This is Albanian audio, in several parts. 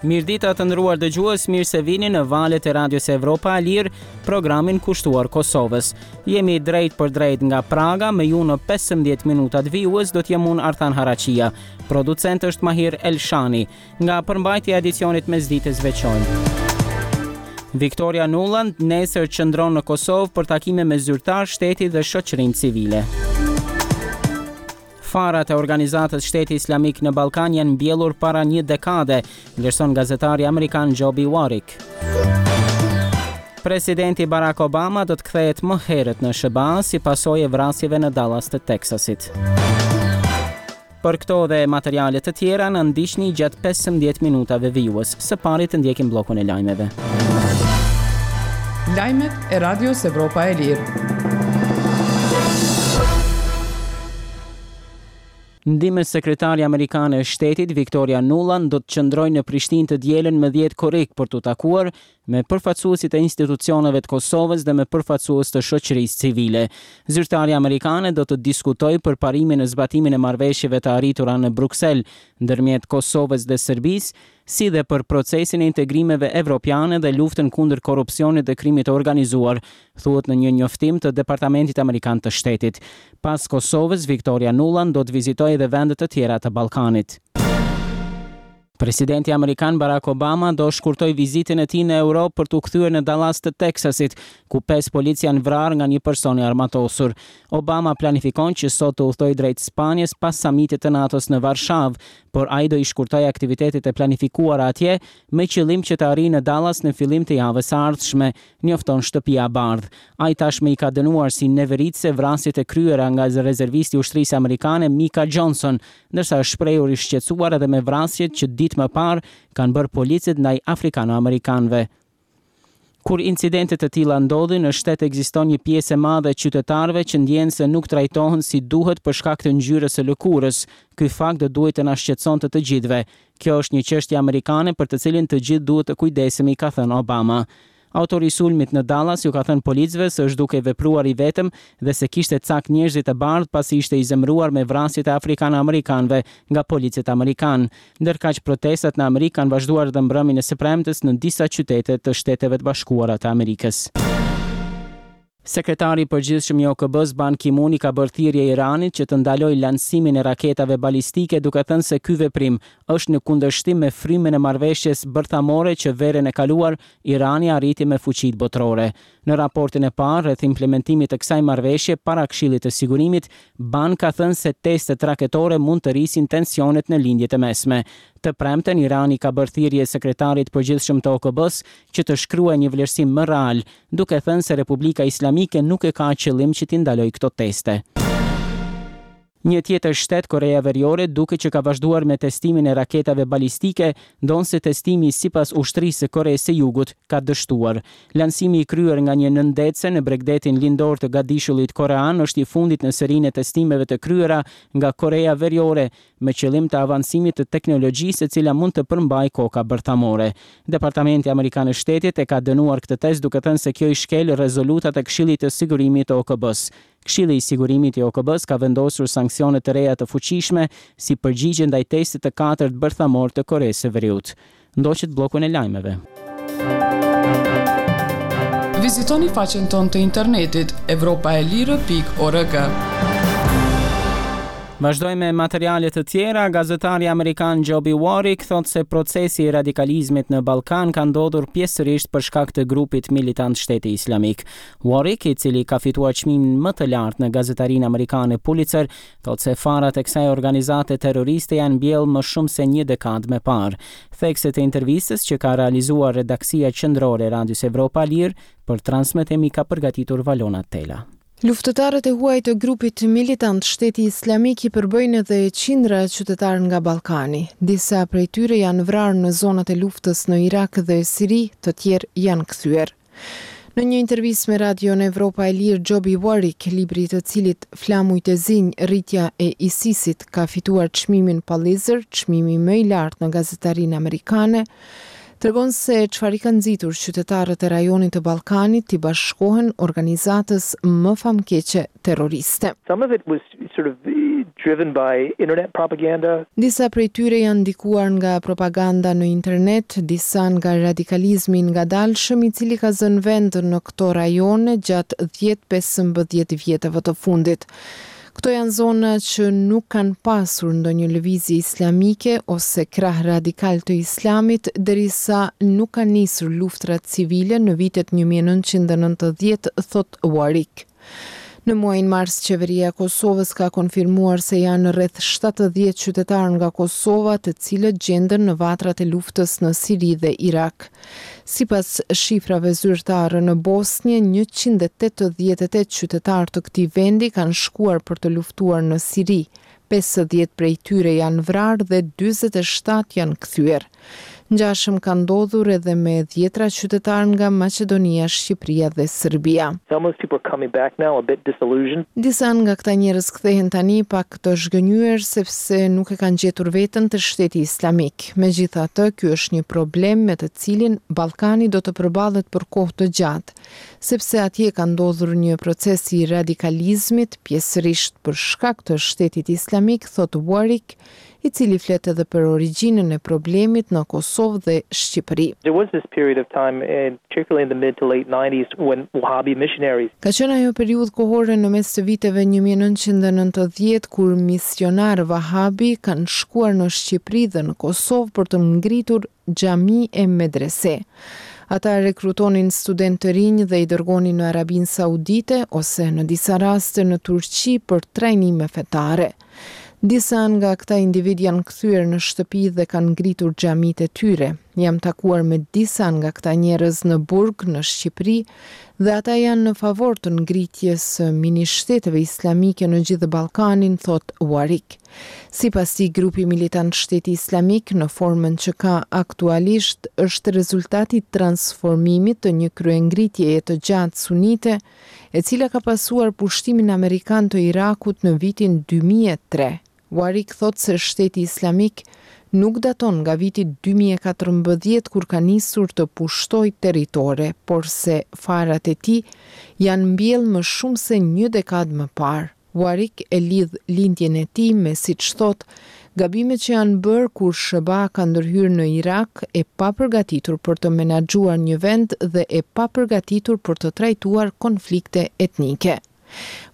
Mirëdita të nderuar dëgjues, mirë se vini në valët e Radios Evropa e Lirë, programin kushtuar Kosovës. Jemi drejtpërdrejt nga Praga, me ju në 15 minutat vijues do të jem unë Artan Haraqia. Producent është Mahir Elshani. Nga përmbajtja e edicionit mesditës veçojmë. Victoria Nuland nesër qëndron në Kosovë për takime me zyrtarë shteti dhe shoqërinë civile. Farat e organizatës Shteti Islamik në Ballkan janë mbjellur para një dekade, vlerëson gazetari amerikan Joby Warrick. Presidenti Barack Obama do të kthehet më herët në SHBA si pasojë e vrasjeve në Dallas të Teksasit. Për këto dhe materiale të tjera na ndiqni gjatë 15 minutave vijues. Së pari të ndjekim bllokun e lajmeve. Lajmet e Radios Evropa e Lirë. Ndihmës sekretarja amerikane e shtetit Victoria Nuland do të qëndrojë në Prishtinë të dielën më 10 korrik për t'u takuar me përfaqësuesit e institucioneve të Kosovës dhe me përfaqësues të shoqërisë civile. Zyrtarja amerikane do të diskutojë përparimin në zbatimin e marrëveshjeve të arritura në Bruksel ndërmjet Kosovës dhe Serbisë, si dhe për procesin e integrimeve evropiane dhe luftën kundër korrupsionit dhe krimit të organizuar, thuhet në një njoftim të Departamentit Amerikan të Shtetit. Pas Kosovës, Victoria Nuland do të vizitojë edhe vende të tjera të Ballkanit. Presidenti amerikan Barack Obama do shkurtojë vizitën e tij në Europë për t'u kthyer në Dallas të Teksasit, ku pesë policë janë vrarë nga një person i armatosur. Obama planifikon që sot të udhëtojë drejt Spanjës pas samitit të NATO-s në Varshavë, por ai do i shkurtojë aktivitetet e planifikuara atje me qëllim që të arrijë në Dallas në fillim të javës së ardhshme, njofton Shtëpia e Bardhë. Ai tashmë i ka dënuar si neveritëse vrasjet e kryera nga rezervisti i ushtrisë amerikane Micah Johnson, ndërsa është shprehur i shqetësuar edhe me vrasjet që ditë më parë kanë bërë policët ndaj afrikano-amerikanëve. Kur incidente të tilla ndodhin, në shtet ekziston një pjesë e madhe e qytetarëve që ndjehen se nuk trajtohen si duhet për shkak të ngjyrës së lëkurës. Ky fakt do duhej të na shqetësonte të gjithëve. Kjo është një çështje amerikane për të cilin të gjithë duhet të kujdesemi, ka thënë Obama. Autori i sulmit në Dallas ju ka thënë policëve se është duke vepruar i vetëm dhe se kishte cak njerëzit e bardhë pasi ishte i zemëruar me vrasjet e afrikano-amerikanëve nga policët amerikanë. Ndërkaq protestat në Amerikë kanë vazhduar edhe mbrëmjen e së premtes në disa qytete të Shteteve të Bashkuara të Amerikës. Sekretari i Përgjithshëm i OKB-së, Ban Ki-moon i ka bërë thirrje Iranit që të ndalojë lansimin e raketave balistike duke thënë se ky veprim është në kundërshtim me frymën e marrëveshjes bërthamore që verën e kaluar Irani arriti me fuqitë botërore. Në raportin e parë rreth implementimit të kësaj marrëveshje para Këshillit të Sigurimit, Ban ka thënë se testet raketore mund të rrisin tensionet në Lindje të Mesme. Të premten, Irani i ka bërë thirrje Sekretarit të Përgjithshëm të OKB-së që të shkruajë një vlerësim më real, duke thënë se Republika Islamike nuk e ka qëllim që t'i ndalojë këto teste. Një tjetër shtet, Koreja Veriore, duket që ka vazhduar me testimin e raketave balistike, ndonëse testimi sipas ushtrisë së Koresë së Jugut ka dështuar. Lansimi i kryer nga një nëndetëse në bregdetin lindor të gadishullit korean është i fundit në serinë e testimeve të kryera nga Koreja Veriore me qëllim të avancimit të teknologjisë e cila mund të përmbajë koka bërthamore. Departamenti Amerikan i Shtetit e ka dënuar këtë test duke thënë se kjo i shkel rezolutat e Këshillit të Sigurimit të OKB-së. Këshilli i Sigurimit i OKB-së ka vendosur sanksione të reja të fuqishme si përgjigje ndaj testit të katërt bërthamor të Koresë së Veriut. Ndoqët bllokun e lajmeve. Vizitoni faqen tonë të internetit evropaelire.org. Vazhdojmë me materiale të tjera. Gazetari amerikan Joby Warrick thotë se procesi i radikalizmit në Ballkan ka ndodhur pjesërisht për shkak të grupit militant Shteti Islamik. Warrick, i cili ka fituar çmimin më të lartë në gazetarinë amerikane Pulitzer, thotë se farat e kësaj organizate terroriste janë mbjellë më shumë se një dekadë më parë. Thekset e intervistës që ka realizuar redaksia qendrore e Radios Evropa e Lirë për transmetim i ka përgatitur Valona Tela. Luftëtarët e huaj të grupit militant Shteti Islamik i përbëjnë edhe qindra qytetarë nga Ballkani. Disa prej tyre janë vrarë në zonat e luftës në Irak dhe Siri, të tjerë janë kthyer. Në një intervistë me Radion Evropa e Lirë, Joby Warrick, libri i të cilit Flamujt e zinj, rritja e ISIS-it ka fituar çmimin Pulitzer, çmimi më i lartë në gazetarinë amerikane, tregon se çfarë i ka nxitur qytetarët e rajonit të Ballkanit t'i bashkohen organizatës më famëkeqe terroriste. Some of it was sort of. driven by internet propaganda. Disa prej tyre janë ndikuar nga propaganda në internet, disa nga radikalizmi i ngadalshëm i cili ka zënë vend në këto rajone gjatë 10-15 vjetëve të fundit. Këto janë zona që nuk kanë pasur ndonjë lëvizje islamike ose krah radikal të islamit derisa nuk kanë nisur luftërat civile në vitet 1990, thotë Warwick. Në muajin mars Qeveria e Kosovës ka konfirmuar se janë rreth 70 qytetarë nga Kosova të cilët gjenden në vatrat e luftës në Siri dhe Irak. Sipas shifrave zyrtare në Bosnje, 188 qytetarë të këtij vendi kanë shkuar për të luftuar në Siri, 50 prej tyre janë vrarë dhe 47 janë kthyer. Ngjashëm ka ndodhur edhe me dhjetra qytetarë nga Maqedonia, Shqipëria dhe Serbia. Some of those people are coming back now a bit disillusioned. Disa nga këta njerëz kthehen tani pak të zhgënjyer sepse nuk e kanë gjetur veten te shteti islamik. Megjithatë, ky është një problem me të cilin Ballkani do të përballet për kohë të gjatë, sepse atje ka ndodhur një proces i radikalizmit, pjesërisht për shkak të shtetit islamik, thotë Warwick, i cili flet edhe për origjinën e problemit në Kosovë dhe Shqipëri. There was this period of time, particularly in the mid to late 90s, when Wahhabi missionaries Ka qenë ajo periudhë kohore në mes të viteve 1990 kur misionarë Wahhabi kanë shkuar në Shqipëri dhe në Kosovë për të ngritur xhami e medrese. Ata rekrutonin studentë të rinj dhe i dërgonin në Arabinë Saudite ose në disa raste në Turqi për trajnime fetare. Disa nga këta individ janë kthyer në shtëpi dhe kanë ngritur xhamitë e tyre. Jam takuar me disa nga këta njerëz në burg në Shqipëri dhe ata janë në favor të ngritjes së mini-shteteve islamike në gjithë Ballkanin, thotë Warwick. Sipas tij, grupi militant Shteti Islamik në formën që ka aktualisht është rezultat i transformimit të një kryengritjeje të gjatë sunite, e cila ka pasuar pushtimin amerikan të Irakut në vitin 2003. Warwick thotë se shteti islamik nuk daton nga viti 2014 kur ka nisur të pushtojë territore, por se farat e tij janë mbjellë më shumë se një dekadë më parë. Warwick e lidh lindjen e tij me, siç thotë, gabimet që janë bërë kur SHBA ka ndërhyrë në Irak e papërgatitur për të menaxhuar një vend dhe e papërgatitur për të trajtuar konflikte etnike.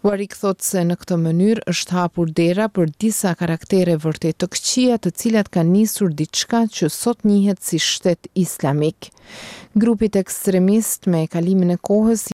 Warwick thotë se në këtë mënyrë është hapur dera për disa karaktere vërtet të këqija të cilat kanë nisur diçka që sot njihet si shtet islamik. Grupit ekstremist me kalimin e kohës.